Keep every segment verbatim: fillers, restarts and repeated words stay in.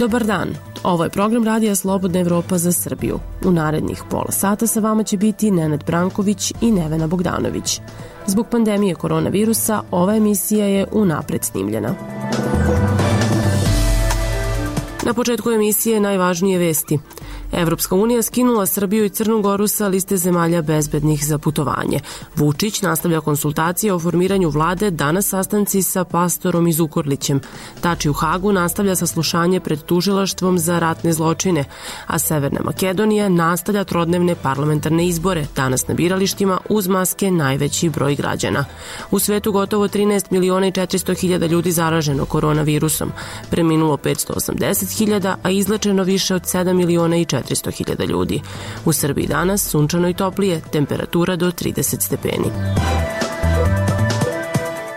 Dobar dan, ovo je program Radija Slobodna Evropa za Srbiju. U narednih pola sata sa vama će biti Nenad Branković i Nevena Bogdanović. Zbog pandemije koronavirusa ova emisija je unapred snimljena. Na početku emisije najvažnije vesti. Evropska unija skinula Srbiju i Crnu Goru sa liste zemalja bezbednih za putovanje. Vučić nastavlja konsultacije o formiranju vlade, danas sastanci sa Pastorom i Zukorlićem. Tači u Hagu nastavlja saslušanje pred tužilaštvom za ratne zločine, a Severna Makedonija nastavlja trodnevne parlamentarne izbore, danas na biralištima uz maske najveći broj građana. U svetu gotovo trinaest miliona i četiristo hiljada ljudi zaraženo koronavirusom, preminulo petsto osamdeset hiljada, a izlečeno više od sedam miliona i četiristo hiljada ljudi. U Srbiji danas sunčano i toplije, temperatura do trideset stepeni.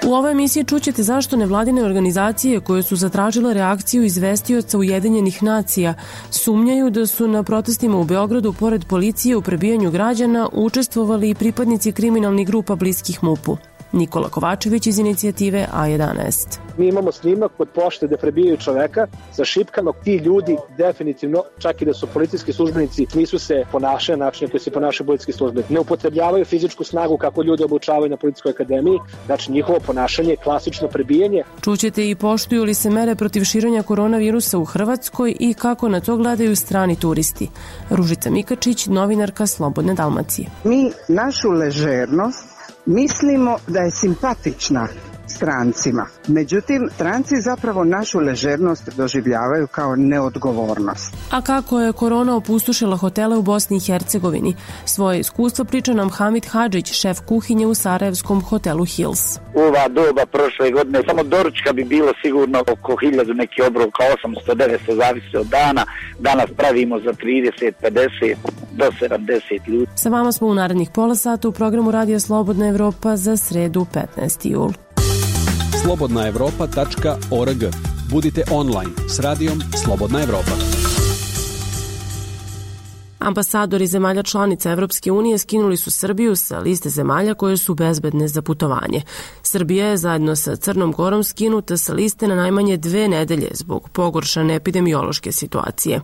U ovoj emisiji čućete zašto nevladine organizacije koje su zatražile reakciju izvestioca Ujedinjenih nacija sumnjaju da su na protestima u Beogradu pored policije u prebijanju građana učestvovali i pripadnici kriminalnih grupa bliskih MUP-u. Nikola Kovačević iz inicijative A jedanaest. Mi imamo snimak kod pošte da prebijaju čoveka sa šipkama. Ti ljudi definitivno, čak i da su policijski službenici, nisu se ponašali na način koji se ponašaju policijski službenici. Ne upotrebljavaju fizičku snagu kako ljudi obučavaju na policijskoj akademiji. Znači njihovo ponašanje je klasično prebijanje. Čućete i poštuju li se mere protiv širenja koronavirusa u Hrvatskoj i kako na to gledaju strani turisti. Ružica Mikačić, novinarka Slobodne Dalmacije. Mi našu ležernost mislimo da je simpatična strancima. Međutim, stranci zapravo našu ležernost doživljavaju kao neodgovornost. A kako je korona opustošila hotele u Bosni i Hercegovini? Svoje iskustvo priča nam Hamid Hadžić, šef kuhinje u sarajevskom hotelu Hills. U ova doba prošle godine samo doručka bi bilo sigurno oko hiljadu, neki obrok osamsto devetsto, zavisi od dana. Danas pravimo za trideset pedeset do sedamdeset ljudi. Sa vama smo u narednih pola sata u programu Radija Slobodna Evropa za sredu petnaesti jul. slobodna evropa tačka org. Budite online s radijom Slobodna Evropa. Ambasadori zemalja članica Evropske unije skinuli su Srbiju sa liste zemalja koje su bezbedne za putovanje. Srbija je zajedno sa Crnom Gorom skinuta sa liste na najmanje dve nedelje zbog pogoršane epidemiološke situacije.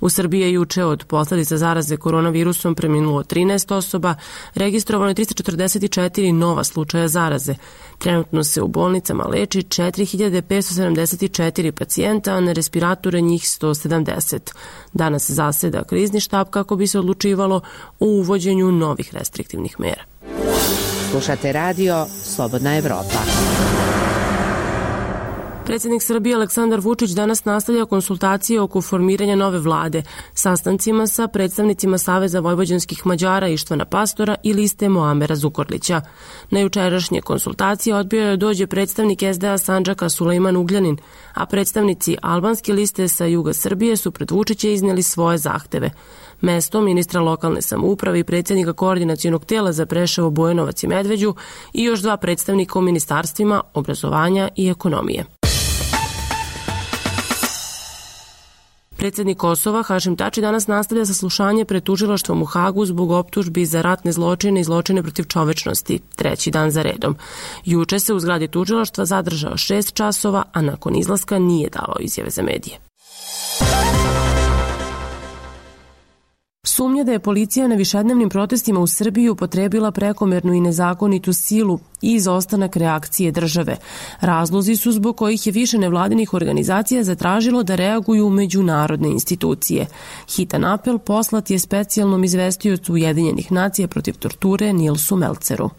U Srbiji je juče od posledica zaraze koronavirusom preminulo trinaest osoba, registrovano je trista četrdeset četiri nova slučaja zaraze. Trenutno se u bolnicama leči četiri hiljade petsto sedamdeset četiri pacijenta, a na respiratore njih sto sedamdeset. Danas zaseda krizni štab kako bi se odlučivalo o uvođenju novih restriktivnih mera. Slušate radio Slobodna Evropa. Predsjednik Srbije Aleksandar Vučić danas nastavlja konsultacije oko formiranja nove vlade, sastancima sa predstavnicima Saveza vojvođanskih Mađara Ištvana Pastora i liste Muamera Zukorlića. Na jučerašnje konsultacije odbio je dođe predstavnik es de a Sandžaka Sulejman Ugljanin, a predstavnici albanske liste sa juga Srbije su pred Vučića iznijeli svoje zahteve. Mesto ministra lokalne samouprave i predsjednika koordinacionog tela za Preševo, Bujanovac i Medveđu i još dva predstavnika u ministarstvima obrazovanja i ekonomije. Predsjednik Kosova Hašim Tači danas nastavlja saslušanje pred tužilaštvom u Hagu zbog optužbi za ratne zločine i zločine protiv čovečnosti, treći dan za redom. Juče se u zgradi tužilaštva zadržao šest časova, a nakon izlaska nije davao izjave za medije. Sumnja da je policija na višednevnim protestima u Srbiji upotrebila prekomernu i nezakonitu silu i izostanak reakcije države. Razlozi su zbog kojih je više nevladinih organizacija zatražilo da reaguju međunarodne institucije. Hitan apel poslat je specijalnom izvestiocu Ujedinjenih nacija protiv torture Nilsu Melceru.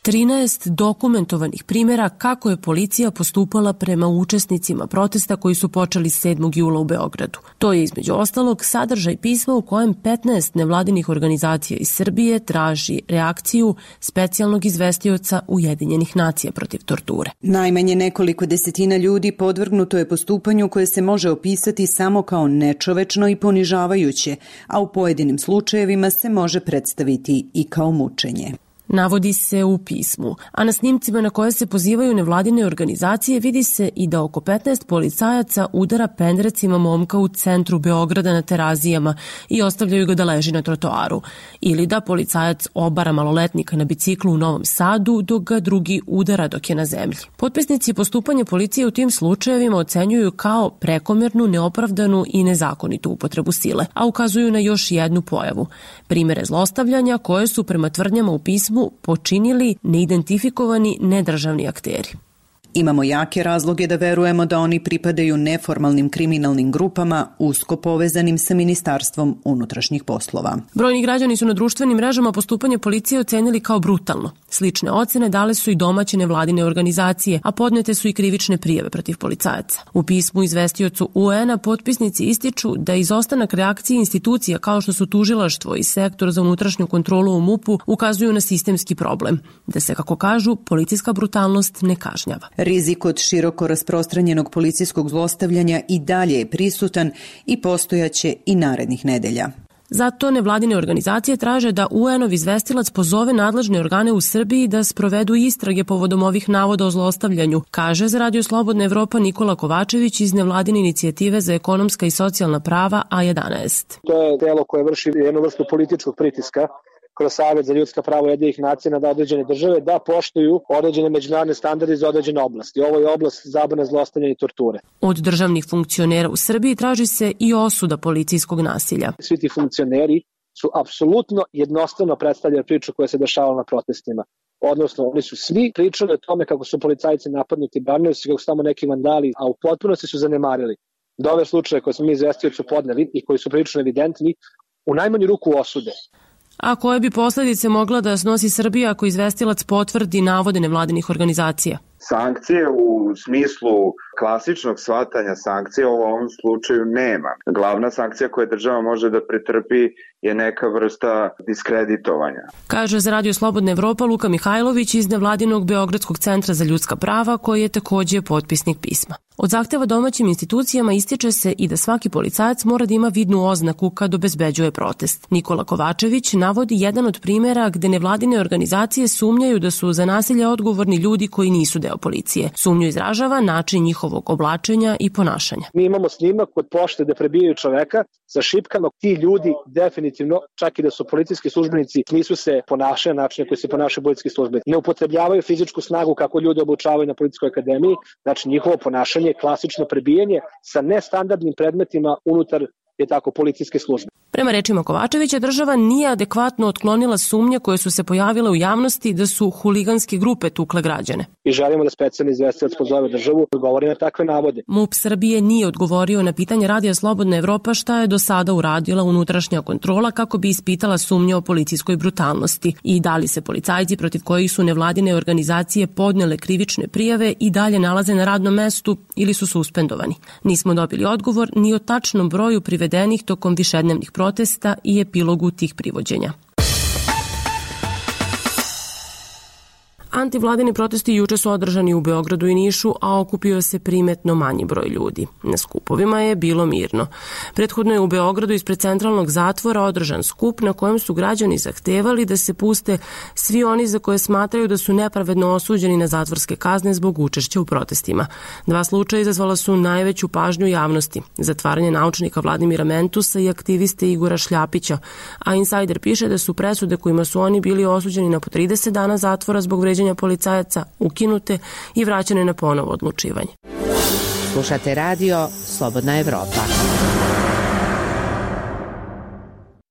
trinaest dokumentovanih primjera kako je policija postupala prema učesnicima protesta koji su počeli sedmog jula u Beogradu. To je između ostalog sadržaj pisma u kojem petnaest nevladinih organizacija iz Srbije traži reakciju specijalnog izvestioca Ujedinjenih nacija protiv torture. Najmanje nekoliko desetina ljudi podvrgnuto je postupanju koje se može opisati samo kao nečovečno i ponižavajuće, a u pojedinim slučajevima se može predstaviti i kao mučenje. navodi se u pismu, a na snimcima na koje se pozivaju nevladine organizacije vidi se i da oko petnaest policajaca udara pendrecima momka u centru Beograda na Terazijama i ostavljaju ga da leži na trotoaru, ili da policajac obara maloletnika na biciklu u Novom Sadu dok ga drugi udara dok je na zemlji. Potpisnici postupanja policije u tim slučajevima ocenjuju kao prekomernu, neopravdanu i nezakonitu upotrebu sile, a ukazuju na još jednu pojavu. Primere zlostavljanja koje su prema tvrdnjama u pismu počinili neidentifikovani nedržavni akteri. Imamo jake razloge da verujemo da oni pripadaju neformalnim kriminalnim grupama usko povezanim sa Ministarstvom unutrašnjih poslova. Brojni građani su na društvenim mrežama postupanje policije ocenili kao brutalno. Slične ocene dale su i domaće nevladine organizacije, a podnete su i krivične prijave protiv policajaca. U pismu izvestiocu U N-a potpisnici ističu da izostanak reakcije institucija kao što su tužilaštvo i sektor za unutrašnju kontrolu u M U P-u ukazuju na sistemski problem, da se, kako kažu, policijska brutalnost ne kažnjava. Rizik od široko rasprostranjenog policijskog zlostavljanja i dalje je prisutan i postojaće i narednih nedelja. Zato nevladine organizacije traže da U N-ov izvestilac pozove nadležne organe u Srbiji da sprovedu istrage povodom ovih navoda o zlostavljanju, kaže za Radio Slobodna Evropa Nikola Kovačević iz nevladine inicijative za ekonomska i socijalna prava A jedanaest. To je telo koje vrši jednu vrstu političkog pritiska kroz Savet za ljudska prava Ujedinjenih nacija na određene države da poštuju određene međunarodne standarde za određene oblasti. Ovo je oblast zabrane zlostavljanja i torture. Od državnih funkcionera u Srbiji traži se i osuda policijskog nasilja. Svi ti funkcioneri su apsolutno jednostavno predstavljali priču koja se dešavala na protestima. Odnosno, oni su svi pričali o tome kako su policajci napadnuti, branili su kako su tamo neki vandali, a u potpunosti su zanemarili da ove slučaje koje smo mi izvestioci podneli i koji su prilično evidentni, u najmanju ruku osude. A koje bi posledice mogla da snosi Srbija ako izvestilac potvrdi navode nevladinih organizacija? Sankcije u smislu klasičnog shvatanja sankcije u ovom slučaju nema. Glavna sankcija koju država može da pretrpi je neka vrsta diskreditovanja. Kaže za Radio Slobodna Evropa Luka Mihajlović iz nevladinog Beogradskog centra za ljudska prava, koji je takođe potpisnik pisma. Od zahteva domaćim institucijama ističe se i da svaki policajac mora da ima vidnu oznaku kad obezbeđuje protest. Nikola Kovačević navodi jedan od primera gde nevladine organizacije sumnjaju da su za nasilje odgovorni ljudi koji nisu deo policije. Sumnju izražava način njihovog oblačenja i ponašanja. Mi imamo snimak kod pošte gde prebijaju čoveka sa šipkama. Ti ljudi definitivno, čak i da su policijski službenici, nisu se ponašali na način koji se ponašaju policijski službenici. Ne upotrebljavaju fizičku snagu kako ljudi obučavaju na policijskoj akademiji, znači njihovo ponašanje je klasično prebijanje sa nestandardnim predmetima unutar je tako policijske službe. Prema rečima Kovačevića, država nije adekvatno otklonila sumnje koje su se pojavile u javnosti da su huliganske grupe tukle građane. I želimo da specijalni izvestilac pozove državu da odgovori na takve navode. M U P Srbije nije odgovorio na pitanje Radija Slobodna Evropa šta je do sada uradila unutrašnja kontrola kako bi ispitala sumnje o policijskoj brutalnosti i da li se policajci protiv kojih su nevladine organizacije podnele krivične prijave i dalje nalaze na radnom mestu ili su suspendovani. Nismo dobili odgovor ni o tačnom broju privedenih tokom višednevnih protesta i epilogu tih privođenja. Antivladini protesti juče su održani u Beogradu i Nišu, a okupio se primetno manji broj ljudi. Na skupovima je bilo mirno. Prethodno je u Beogradu ispred centralnog zatvora održan skup na kojem su građani zahtevali da se puste svi oni za koje smatraju da su nepravedno osuđeni na zatvorske kazne zbog učešća u protestima. Dva slučaja izazvala su najveću pažnju javnosti. Zatvaranje naučnika Vladimira Mentusa i aktiviste Igora Šljapića, a Insider piše da su presude kojima su oni bili osuđeni na po trideset dana zatvora zbog vređanja policajaca ukinute i vraćane na ponovo odlučivanje. Slušate radio Slobodna Evropa.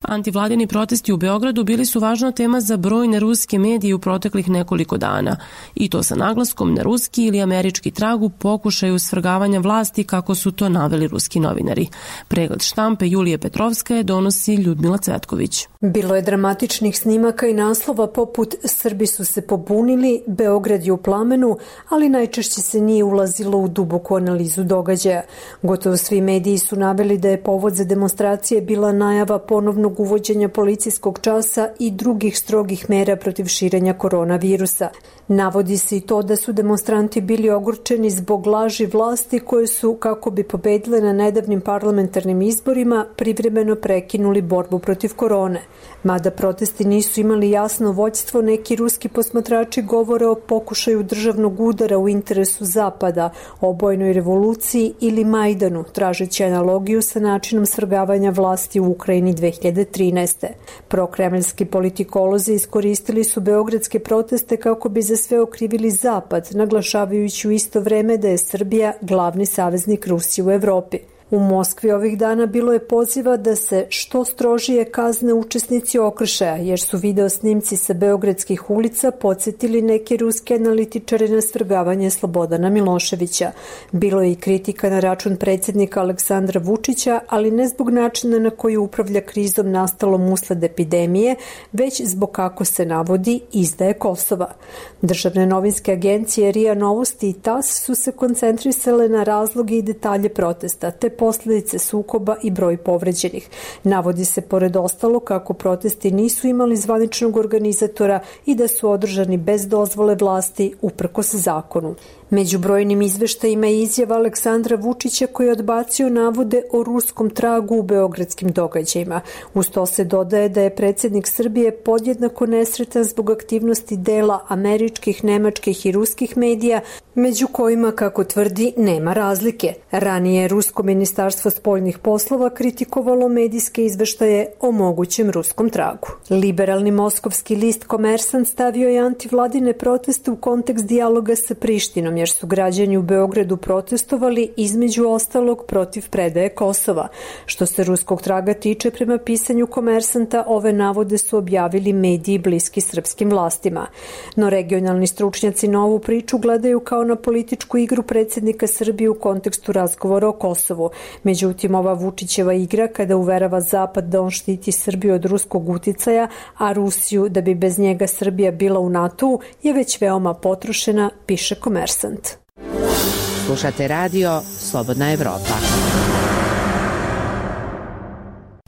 Antivladini protesti u Beogradu bili su važna tema za brojne ruske medije u proteklih nekoliko dana. I to sa naglaskom na ruski ili američki trag u pokušaju svrgavanja vlasti kako su to naveli ruski novinari. Pregled štampe Julije Petrovskaje donosi Ljudmila Cvetković. Bilo je dramatičnih snimaka i naslova poput Srbi su se pobunili, Beograd je u plamenu, ali najčešće se nije ulazilo u duboku analizu događaja. Gotovo svi mediji su naveli da je povod za demonstracije bila najava ponovnog uvođenja policijskog časa i drugih strogih mera protiv širenja koronavirusa. Navodi se i to da su demonstranti bili ogorčeni zbog laži vlasti koje su, kako bi pobedile na nedavnim parlamentarnim izborima, privremeno prekinuli borbu protiv korone. Mada protesti nisu imali jasno vođstvo, neki ruski posmatrači govore o pokušaju državnog udara u interesu Zapada, obojnoj revoluciji ili Majdanu, tražeći analogiju sa načinom svrgavanja vlasti u Ukrajini dve hiljade trinaeste. Prokremljski politikolozi iskoristili su beogradske proteste kako bi za sve okrivili Zapad, naglašavajući u isto vreme da je Srbija glavni saveznik Rusije u Evropi. U Moskvi ovih dana bilo je poziva da se što strožije kazne učesnici okršaja, jer su video snimci sa beogradskih ulica podsjetili neke ruske analitičare na svrgavanje Slobodana Miloševića. Bilo je i kritika na račun predsjednika Aleksandra Vučića, ali ne zbog načina na koji upravlja krizom nastalom usled epidemije, već zbog, kako se navodi, izdaje Kosova. Državne novinske agencije R I A Novosti i T A S su se koncentrisale na razloge i detalje protesta, te posljedice sukoba i broj povređenih. Navodi se pored ostalo kako protesti nisu imali zvaničnog organizatora i da su održani bez dozvole vlasti uprkos zakonu. Među brojnim izveštajima je izjava Aleksandra Vučića koji je odbacio navode o ruskom tragu u beogradskim događajima. Uz to se dodaje da je predsjednik Srbije podjednako nesretan zbog aktivnosti dela američkih, nemačkih i ruskih medija, među kojima, kako tvrdi, nema razlike. Ranije je rusko ministarstvo spoljnih poslova kritikovalo medijske izveštaje o mogućem ruskom tragu. Liberalni moskovski list Komersant stavio je antivladine proteste u kontekst dijaloga sa Prištinom, jer su građani u Beogradu protestovali između ostalog protiv predaje Kosova. Što se ruskog traga tiče, prema pisanju Komersanta, ove navode su objavili mediji bliski srpskim vlastima. No regionalni stručnjaci na ovu priču gledaju kao na političku igru predsjednika Srbije u kontekstu razgovora o Kosovu. Međutim, ova Vučićeva igra kada uverava Zapad da on štiti Srbiju od ruskog uticaja, a Rusiju da bi bez njega Srbija bila u NATO-u, je već veoma potrošena, piše Komersant. Slušate radio Slobodna Evropa.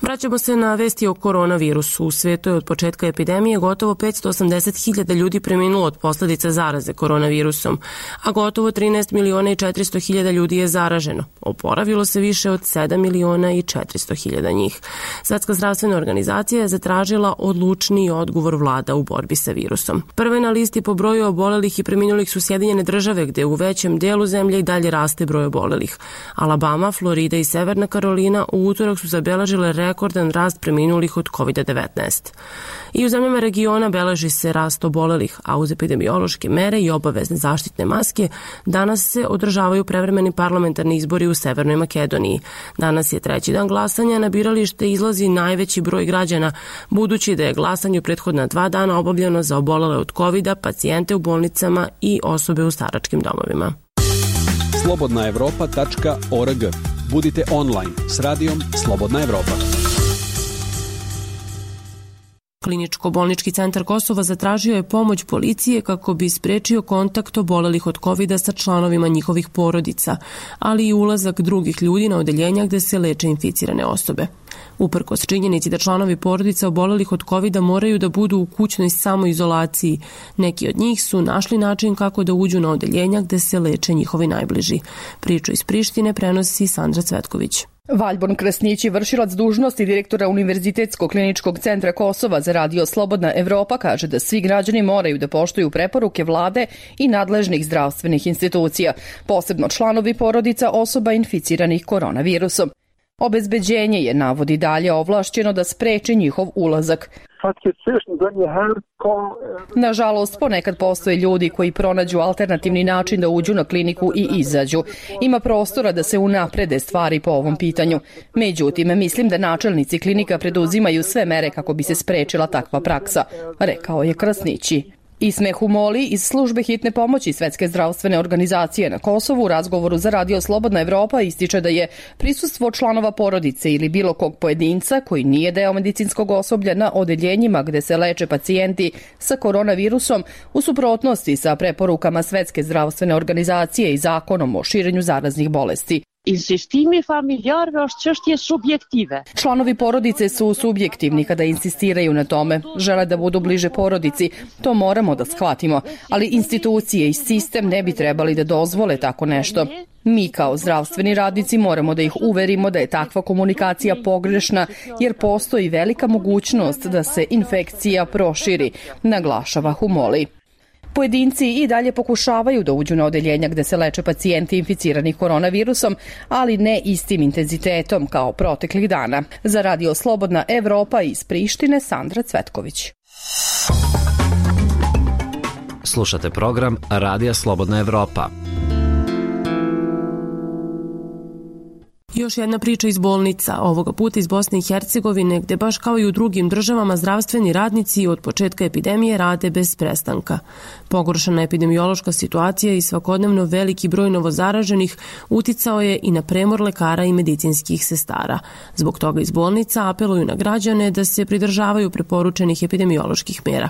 Vraćamo se na vesti o koronavirusu. U svetu je od početka epidemije gotovo petsto osamdeset hiljada ljudi preminulo od posljedica zaraze koronavirusom, a gotovo trinaest miliona i četiristo hiljada ljudi je zaraženo. Oporavilo se više od sedam miliona i četiristo hiljada njih. Svetska zdravstvena organizacija je zatražila odlučniji odgovor vlada u borbi sa virusom. Prve na listi po broju obolelih i preminulih su Sjedinjene države, gde u većem delu zemlje i dalje raste broj obolelih. Alabama, Florida i Severna Karolina u utorak su zabeležile rekordan rast preminulih od kovid devetnaest. I u zemljama regiona beleži se rast obolelih, a uz epidemiološke mere i obavezne zaštitne maske danas se održavaju prevremeni parlamentarni izbori u Severnoj Makedoniji. Danas je treći dan glasanja, na biralište izlazi najveći broj građana, budući da je glasanje u prethodna dva dana obavljeno za obolele od kovida, pacijente u bolnicama i osobe u staračkim domovima. slobodna evropa tačka org. Budite online s radijom Slobodna Evropa. Kliničko-bolnički centar Kosova zatražio je pomoć policije kako bi sprečio kontakt obolelih od kovida sa članovima njihovih porodica, ali i ulazak drugih ljudi na odeljenja gde se leče inficirane osobe. Uprkos činjenici da članovi porodica obolelih od kovida moraju da budu u kućnoj samoizolaciji, neki od njih su našli način kako da uđu na odeljenja gde se leče njihovi najbliži. Priču iz Prištine prenosi Sandra Cvetković. Valjborn Krasnić, vršilac dužnosti direktora Univerzitetskog kliničkog centra Kosova za radio Slobodna Evropa, kaže da svi građani moraju da poštuju preporuke vlade i nadležnih zdravstvenih institucija, posebno članovi porodica osoba inficiranih koronavirusom. Obezbeđenje je, navodi dalje, ovlašćeno da spreči njihov ulazak. Nažalost, ponekad postoje ljudi koji pronađu alternativni način da uđu na kliniku i izađu. Ima prostora da se unaprede stvari po ovom pitanju. Međutim, mislim da načelnici klinika preduzimaju sve mere kako bi se sprečila takva praksa, rekao je Krasnići. Ismeh Humoli iz službe hitne pomoći Svetske zdravstvene organizacije na Kosovu u razgovoru za radio Slobodna Evropa ističe da je prisustvo članova porodice ili bilo kog pojedinca koji nije deo medicinskog osoblja na odeljenjima gde se leče pacijenti sa koronavirusom u suprotnosti sa preporukama Svetske zdravstvene organizacije i zakonom o širenju zaraznih bolesti. Članovi porodice su subjektivni kada insistiraju na tome. Žele da budu bliže porodici. To moramo da shvatimo. Ali institucije i sistem ne bi trebali da dozvole tako nešto. Mi kao zdravstveni radnici moramo da ih uverimo da je takva komunikacija pogrešna jer postoji velika mogućnost da se infekcija proširi, naglašava Humoli. Pojedinci i dalje pokušavaju da uđu na odeljenja gde se leče pacijenti inficirani koronavirusom, ali ne istim intenzitetom kao proteklih dana. Za Radio Slobodna Evropa iz Prištine, Sandra Cvetković. Slušate program Radija Slobodna Evropa. Još jedna priča iz bolnica, ovoga puta iz Bosne i Hercegovine, gde baš kao i u drugim državama zdravstveni radnici od početka epidemije rade bez prestanka. Pogoršana epidemiološka situacija i svakodnevno veliki broj novozaraženih uticao je i na premor lekara i medicinskih sestara. Zbog toga iz bolnica apeluju na građane da se pridržavaju preporučenih epidemioloških mera.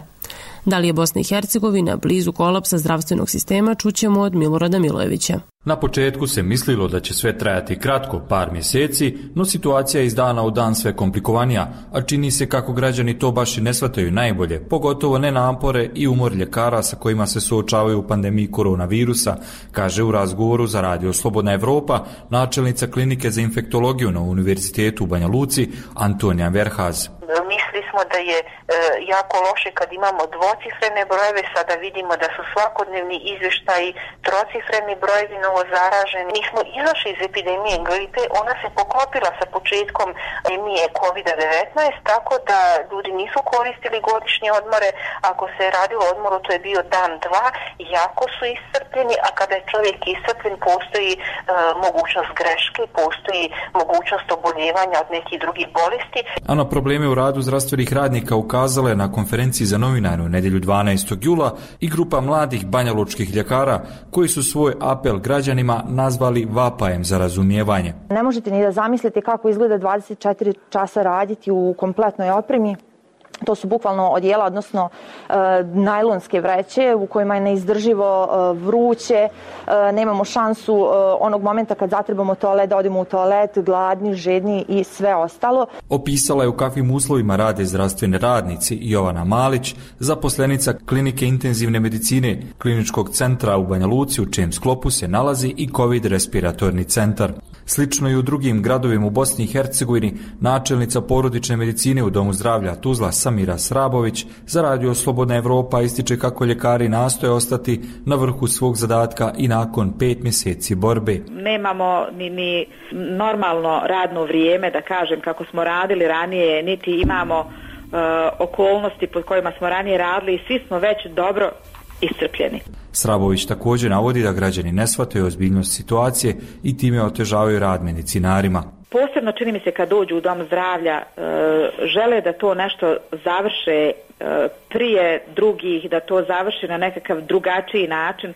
Da li je Bosna i Hercegovina blizu kolapsa zdravstvenog sistema, čućemo od Milorada Milojevića. Na početku se mislilo da će sve trajati kratko, par mjeseci, no situacija je iz dana u dan sve komplikovanija, a čini se kako građani to baš i ne shvataju najbolje, pogotovo ne napore i umor ljekara sa kojima se suočavaju u pandemiji koronavirusa, kaže u razgovoru za Radio Slobodna Evropa načelnica klinike za infektologiju na Univerzitetu u Banja Luci Antonija Verhaz. Mislili smo da je e, jako loše kad imamo dvocifrene brojeve, sada vidimo da su svakodnevni izvještaji trocifreni brojevi novozaraženi. Mi smo izašli iz epidemije gripe, ona se poklopila sa početkom epidemije kovid devetnaest, tako da ljudi nisu koristili godišnje odmore. Ako se je radilo odmoru, to je bio dan, dva, jako su iscrpljeni, a kada je čovjek iscrpljen, postoji e, mogućnost greške, postoji mogućnost oboljevanja od nekih drugih bolesti. A na probleme u radu zdravstvenih radnika ukazala je na konferenciji za novinare u nedjelju dvanaestog jula i grupa mladih banjalučkih ljekara koji su svoj apel građanima nazvali vapajem za razumijevanje. Ne možete ni da zamislite kako izgleda dvadeset četiri časa raditi u kompletnoj opremi. To su bukvalno odijela, odnosno e, najlonske vreće u kojima je neizdrživo e, vruće, e, nemamo šansu e, onog momenta kad zatrebamo toalet da odemo u toalet, gladni, žedni i sve ostalo. Opisala je u kakvim uslovima rade zdravstveni radnici Jovana Malić, zaposlenica klinike intenzivne medicine Kliničkog centra u Banja Luci, u čijem sklopu se nalazi i COVID respiratorni centar. Slično i u drugim gradovima u Bosni i Hercegovini, načelnica porodične medicine u Domu zdravlja Tuzla Samira Srabović za Radio Slobodna Evropa ističe kako ljekari nastoje ostati na vrhu svog zadatka i nakon pet mjeseci borbe. Nemamo ni, ni normalno radno vrijeme, da kažem, kako smo radili ranije, niti imamo uh, okolnosti pod kojima smo ranije radili i svi smo već dobro iscrpljeni. Srabović također navodi da građani ne shvataju ozbiljnost situacije i time otežavaju rad medicinarima. Posebno čini mi se kad dođu u dom zdravlja, e, žele da to nešto završe e, prije drugih, da to završi na nekakav drugačiji način,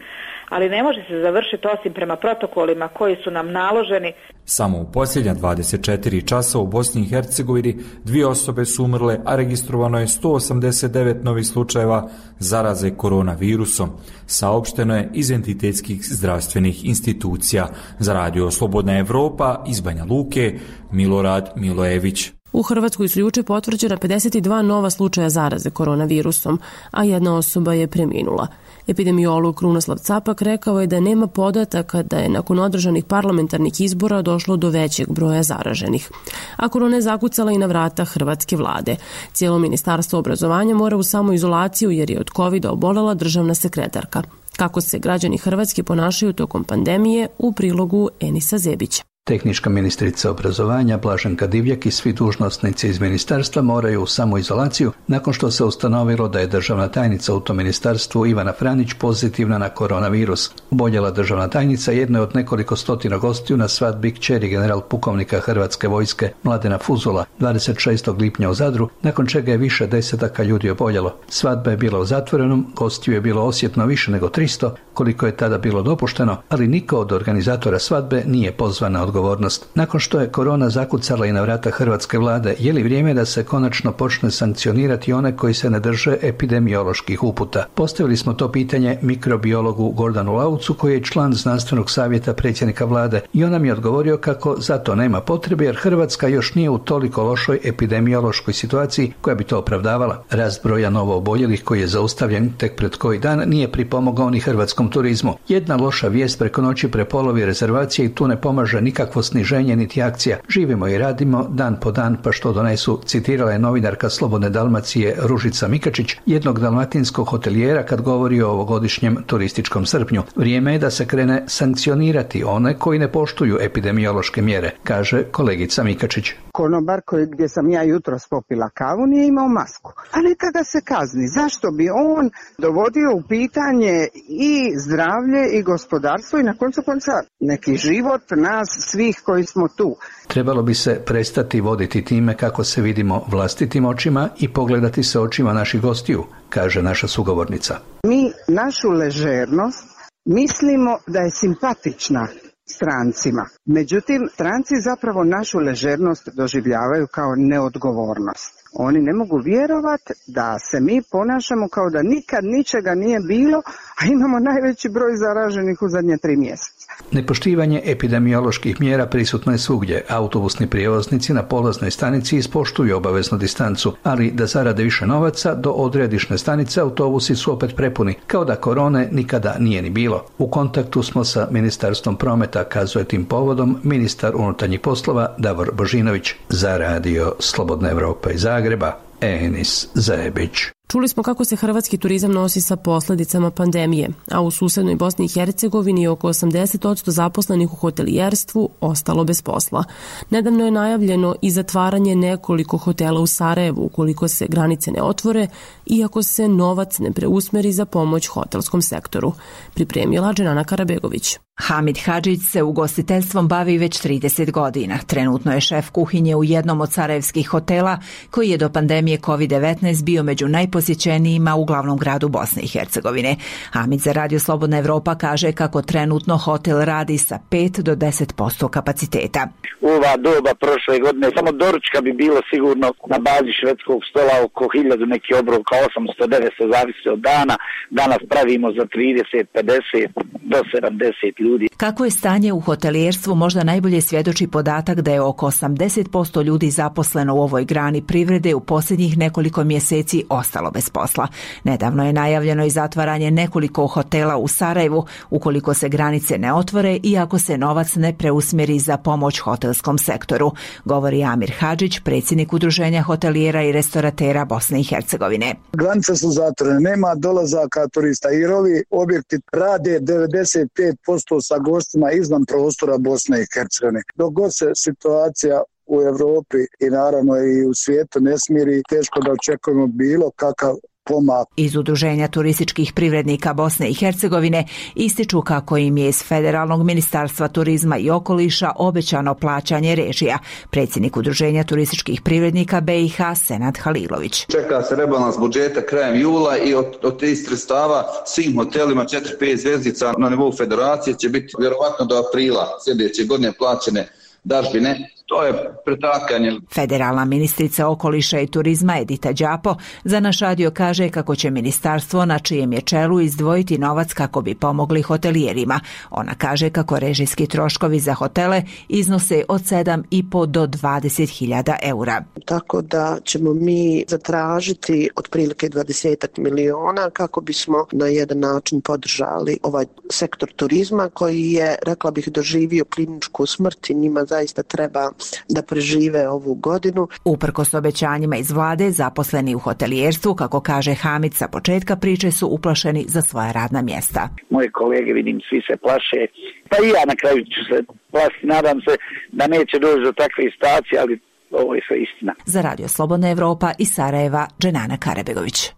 ali ne može se završiti osim prema protokolima koji su nam naloženi. Samo u posljednja dvadeset četiri časa u Bosni i Hercegovini dvije osobe su umrle, a registrovano je sto osamdeset devet novih slučajeva zaraze koronavirusom. Saopšteno je iz entitetskih zdravstvenih institucija. Za Radio Slobodna Evropa iz Banja Luke, Milorad Milojević. U Hrvatskoj su juče potvrđena pedeset dva nova slučaja zaraze koronavirusom, a jedna osoba je preminula. Epidemiolog Krunoslav Capak rekao je da nema podataka da je nakon održanih parlamentarnih izbora došlo do većeg broja zaraženih. A korona je zakucala i na vrata hrvatske vlade. Cijelo ministarstvo obrazovanja mora u samoizolaciju jer je od kovida obolela državna sekretarka. Kako se građani Hrvatske ponašaju tokom pandemije, u prilogu Enisa Zebića. Tehnička ministrica obrazovanja Blaženka Divjak i svi dužnosnici iz ministarstva moraju u samoizolaciju nakon što se ustanovilo da je državna tajnica u tom ministarstvu Ivana Franić pozitivna na koronavirus. Oboljela državna tajnica jedna je od nekoliko stotina gostiju na svadbi kćeri general pukovnika Hrvatske vojske Mladena Fuzula dvadeset šestog lipnja u Zadru, nakon čega je više desetaka ljudi oboljelo. Svadba je bila u zatvorenom, gostiju je bilo osjetno više nego tristo, koliko je tada bilo dopušteno, ali niko od organizatora svadbe nije pozvan na odgovornost. Nakon što je korona zakucala i na vrata hrvatske vlade, je li vrijeme da se konačno počne sankcionirati one koji se ne drže epidemioloških uputa? Postavili smo to pitanje mikrobiologu Gordanu Laucu, koji je član znanstvenog savjeta predsjednika vlade, i on nam je odgovorio kako za to nema potrebe jer Hrvatska još nije u toliko lošoj epidemiološkoj situaciji koja bi to opravdavala. Rast broja novooboljelih koji je zaustavljen tek pred koji dan nije pripomogao ni hrvatskom turizmu. Jedna loša vijest preko noći prepolovi rezervacije i tu ne pomaže nikakvo sniženje niti akcija. Živimo i radimo dan po dan pa što donesu, citirala je novinarka Slobodne Dalmacije Ružica Mikačić, jednog dalmatinskog hotelijera, kad govori o ovogodišnjem turističkom srpnju. Vrijeme je da se krene sankcionirati one koji ne poštuju epidemiološke mjere, kaže kolegica Mikačić. Konobar koji gdje sam ja jutros popila kavu nije imao masku. A neka ga se kazni. Zašto bi on dovodio u pitanje i zdravlje i gospodarstvo i na koncu konca neki život nas svih koji smo tu? Trebalo bi se prestati voditi time kako se vidimo vlastitim očima i pogledati se očima naših gostiju, kaže naša sugovornica. Mi našu ležernost mislimo da je simpatična strancima. Međutim, stranci zapravo našu ležernost doživljavaju kao neodgovornost. Oni ne mogu vjerovati da se mi ponašamo kao da nikad ničega nije bilo, a imamo najveći broj zaraženih u zadnje tri mjeseca. Nepoštivanje epidemioloških mjera prisutno je svugdje. Autobusni prijevoznici na polaznoj stanici ispoštuju obaveznu distancu, ali da zarade više novaca, do odredišne stanice autobusi su opet prepuni, kao da korone nikada nije ni bilo. U kontaktu smo sa Ministarstvom prometa, kazuje tim povodom ministar unutarnjih poslova Davor Božinović. Za radio Slobodna Evropa iz Zagreba, Enis Zajebić. Čuli smo kako se hrvatski turizam nosi sa posljedicama pandemije, a u susednoj Bosni i Hercegovini oko osamdeset posto zaposlenih u hotelijerstvu ostalo bez posla. Nedavno je najavljeno i zatvaranje nekoliko hotela u Sarajevu ukoliko se granice ne otvore, iako se novac ne preusmeri za pomoć hotelskom sektoru. Pripremila Dženana Karabegović. Hamid Hadžić se ugostiteljstvom bavi već trideset godina. Trenutno je šef kuhinje u jednom od sarajevskih hotela koji je do pandemije kovid devetnaest bio među najposjećenijima u glavnom gradu Bosne i Hercegovine. Hamid za Radio Slobodna Evropa kaže kako trenutno hotel radi sa pet do deset posto kapaciteta. U ova doba prošle godine samo doručka bi bilo sigurno na bazi švedskog stola oko hiljadu, neki obrok osamsto devetsto, zavisi od dana. Danas pravimo za trideset, pedeset do sedamdeset ljudi. Kako je stanje u hotelijerstvu možda najbolje svjedoči podatak da je oko osamdeset posto ljudi zaposleno u ovoj grani privrede u posljednjih nekoliko mjeseci ostalo bez posla. Nedavno je najavljeno i zatvaranje nekoliko hotela u Sarajevu ukoliko se granice ne otvore i ako se novac ne preusmjeri za pomoć hotelskom sektoru, govori Amir Hadžić, predsjednik Udruženja hotelijera i restoratera Bosne i Hercegovine. Granice su zatvorene, nema dolazaka turista jer ovi objekti rade devedeset pet posto sa gostima izvan prostora Bosne i Hercegovine. Dok god se situacija u Europi i naravno i u svijetu ne smiri, teško da očekujemo bilo kakav pomak. Iz Udruženja turističkih privrednika Bosne i Hercegovine ističu kako im je iz Federalnog ministarstva turizma i okoliša obećano plaćanje režija. Predsjednik Udruženja turističkih privrednika B i H Senad Halilović. Čeka se rebalans budžeta krajem jula i od, od tih sredstava svim hotelima četiri pet zvezdica na nivou federacije će biti vjerovatno do aprila sljedeće godine plaćene dažbine. To je pretakanje. Federalna ministrica okoliša i turizma Edita Đapo za naš radio kaže kako će ministarstvo na čijem je čelu izdvojiti novac kako bi pomogli hotelijerima. Ona kaže kako režijski troškovi za hotele iznose od sedam i po do dvadeset hiljada eura. Tako da ćemo mi zatražiti otprilike dvadeset miliona kako bismo na jedan način podržali ovaj sektor turizma koji je, rekla bih, doživio kliničku smrt i njima zaista treba da prežive ovu godinu. Uprkos obećanjima iz vlade, zaposleni u hotelijerstvu, kako kaže Hamid, sa početka priče su uplašeni za svoja radna mjesta. Moje kolege, vidim, svi se plaše, pa i ja na kraju ću se plašiti. Nadam se da neće doći do takve situacije, ali ovo je sve istina. Za Radio Slobodna Evropa iz Sarajeva, Dženana Karabegović.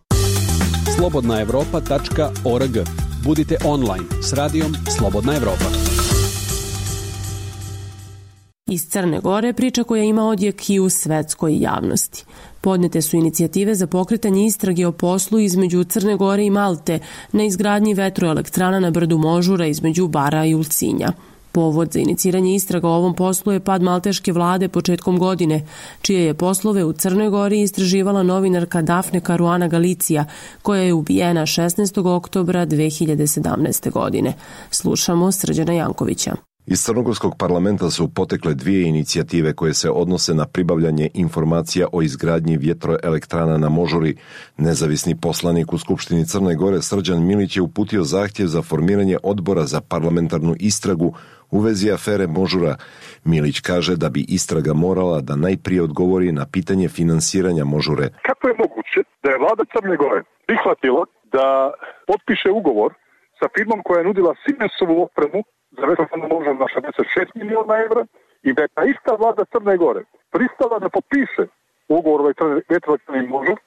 slobodna evropa tačka org. Budite online s radijom Slobodna Evropa. Iz Crne Gore priča koja ima odjek i u svetskoj javnosti. Podnete su inicijative za pokretanje istrage o poslu između Crne Gore i Malte na izgradnji vetroelektrana na brdu Možura između Bara i Ulcinja. Povod za iniciranje istraga o ovom poslu je pad malteške vlade početkom godine, čije je poslove u Crnoj Gori istraživala novinarka Dafne Karuana Galicija, koja je ubijena šesnaestog oktobra dve hiljade sedamnaeste. godine. Slušamo Srđana Jankovića. Iz Crnogorskog parlamenta su potekle dvije inicijative koje se odnose na pribavljanje informacija o izgradnji vjetroelektrana na Možuri. Nezavisni poslanik u Skupštini Crne Gore Srđan Milić je uputio zahtjev za formiranje odbora za parlamentarnu istragu u vezi afere Možura. Milić kaže da bi istraga morala da najprije odgovori na pitanje finansiranja Možure. Kako je moguće da je vlada Crne Gore prihvatila da potpiše ugovor sa firmom koja je nudila Siemensovu opremu za vetroelektranu Možur na šezdeset šest miliona evra i da je ta ista vlada Crne Gore pristala da potpiše ugovor o vetroelektrani Možur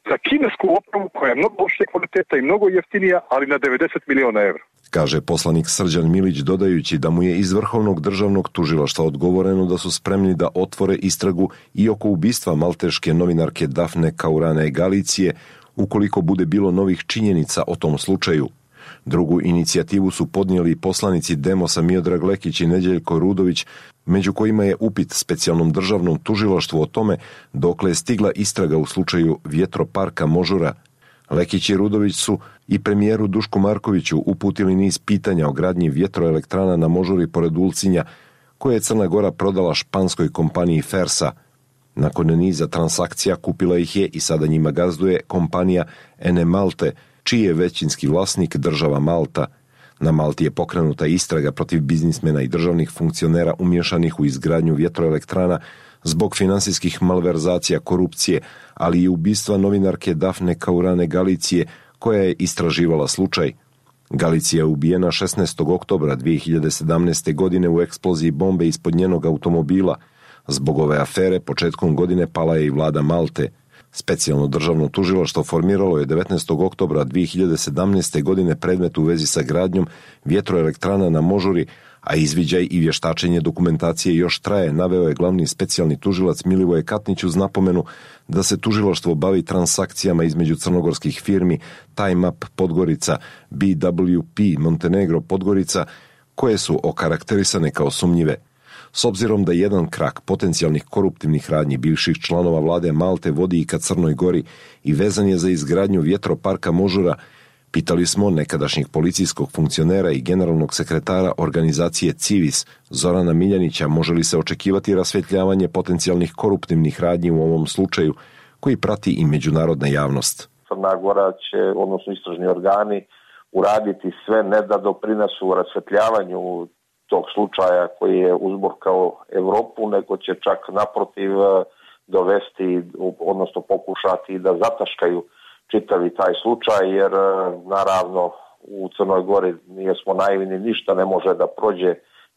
za kinesku opremu koja je mnogo lošije kvaliteta i mnogo jeftinija, ali na devedeset miliona evra. Kaže poslanik Srđan Milić, dodajući da mu je iz Vrhovnog državnog tužilaštva odgovoreno da su spremni da otvore istragu i oko ubistva malteške novinarke Dafne Karuane Galicije ukoliko bude bilo novih činjenica o tom slučaju. Drugu inicijativu su podnijeli poslanici Demosa Miodrag Lekić i Neđeljko Rudović, među kojima je upit specijalnom državnom tužilaštvu o tome dokle je stigla istraga u slučaju vjetroparka Možura. Lekić i Rudović su i premijeru Dušku Markoviću uputili niz pitanja o gradnji vjetroelektrana na Možuri pored Ulcinja, koje je Crna Gora prodala španskoj kompaniji Fersa. Nakon niza transakcija kupila ih je i sada njima gazduje kompanija Ene Malte, čiji je većinski vlasnik država Malta. Na Malti je pokrenuta istraga protiv biznismena i državnih funkcionera umješanih u izgradnju vjetroelektrana zbog finansijskih malverzacija, korupcije, ali i ubistva novinarke Dafne Karuane Galicije, koja je istraživala slučaj. Galicija je ubijena šesnaestog oktobra dve hiljade sedamnaeste. godine u eksploziji bombe ispod njenog automobila. Zbog ove afere početkom godine pala je i vlada Malte. Specijalno državno tužilaštvo formiralo je devetnaestog oktobra dve hiljade sedamnaeste. godine predmet u vezi sa gradnjom vjetroelektrana na Možuri, a izviđaj i vještačenje dokumentacije još traje, naveo je glavni specijalni tužilac Milivoje Katnić uz napomenu da se tužilaštvo bavi transakcijama između crnogorskih firmi Time Up Podgorica, B W P Montenegro Podgorica, koje su okarakterisane kao sumnjive. S obzirom da jedan krak potencijalnih koruptivnih radnji bivših članova vlade Malte vodi i ka Crnoj Gori i vezan je za izgradnju vjetroparka Možura, pitali smo nekadašnjeg policijskog funkcionera i generalnog sekretara organizacije Civis Zorana Miljanića može li se očekivati rasvjetljavanje potencijalnih koruptivnih radnji u ovom slučaju koji prati i međunarodna javnost. Crna Gora će, odnosno istražni organi, uraditi sve ne da doprinesu rasvjetljavanju tog slučaja koji je uzburkao Evropu, nego će čak naprotiv dovesti, odnosno pokušati da zataškaju čitavi taj slučaj, jer naravno u Crnoj Gori nismo naivni, ništa ne može da prođe,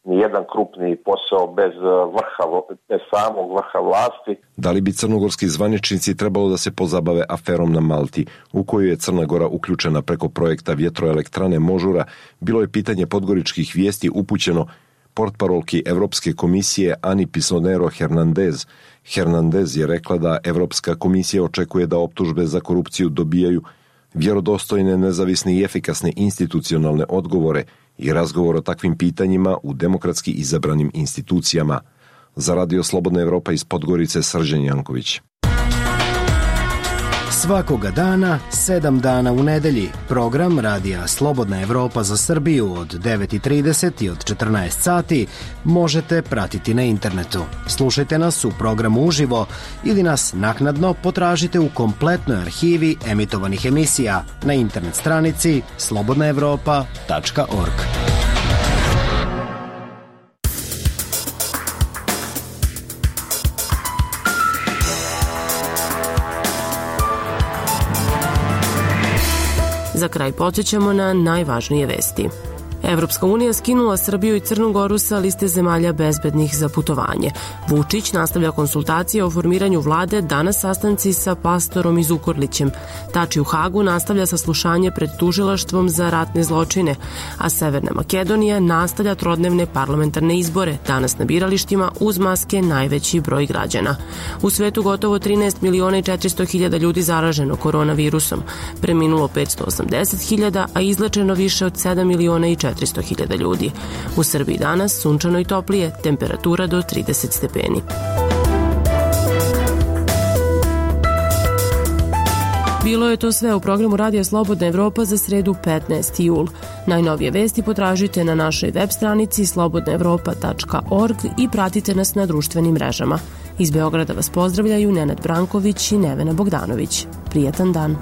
ni jedan krupni posao bez vrha, bez samog vrha vlasti. Da li bi crnogorski zvaničnici trebalo da se pozabave aferom na Malti, u koju je Crna Gora uključena preko projekta vjetroelektrane Možura, bilo je pitanje podgoričkih vijesti upućeno portparolki Evropske komisije Ani Pisonero Hernandez. Hernandez je rekla da Evropska komisija očekuje da optužbe za korupciju dobijaju vjerodostojne, nezavisne i efikasne institucionalne odgovore i razgovor o takvim pitanjima u demokratski izabranim institucijama. Za Radio Slobodna Evropa iz Podgorice, Srđan Janković. Svakoga dana, sedam dana u nedelji, program Radija Slobodna Evropa za Srbiju od devet i trideset i od četrnaest sati možete pratiti na internetu. Slušajte nas u programu uživo ili nas naknadno potražite u kompletnoj arhivi emitovanih emisija na internet stranici slobodna evropa tačka org. Za kraj podsjećamo na najvažnije vesti. Evropska unija skinula Srbiju i Crnu Goru sa liste zemalja bezbednih za putovanje. Vučić nastavlja konsultacije o formiranju vlade, danas sastanci sa Pastorom i Zukorlićem. Tači u Hagu nastavlja saslušanje pred tužilaštvom za ratne zločine, a Severna Makedonija nastavlja trodnevne parlamentarne izbore, danas na biralištima uz maske najveći broj građana. U svetu gotovo trinaest miliona i četiristo hiljada ljudi zaraženo koronavirusom, preminulo petsto osamdeset hiljada, a izlečeno više od sedam miliona i četiristo hiljada ljudi. U Srbiji danas sunčano i toplije, temperatura do trideset stepeni. Bilo je to sve u programu Radija Slobodna Evropa za sredu petnaesti jul. Najnovije vesti potražite na našoj web stranici slobodna evropa tačka org i pratite nas na društvenim mrežama. Iz Beograda vas pozdravljaju Nenad Branković i Nevena Bogdanović. Prijetan dan.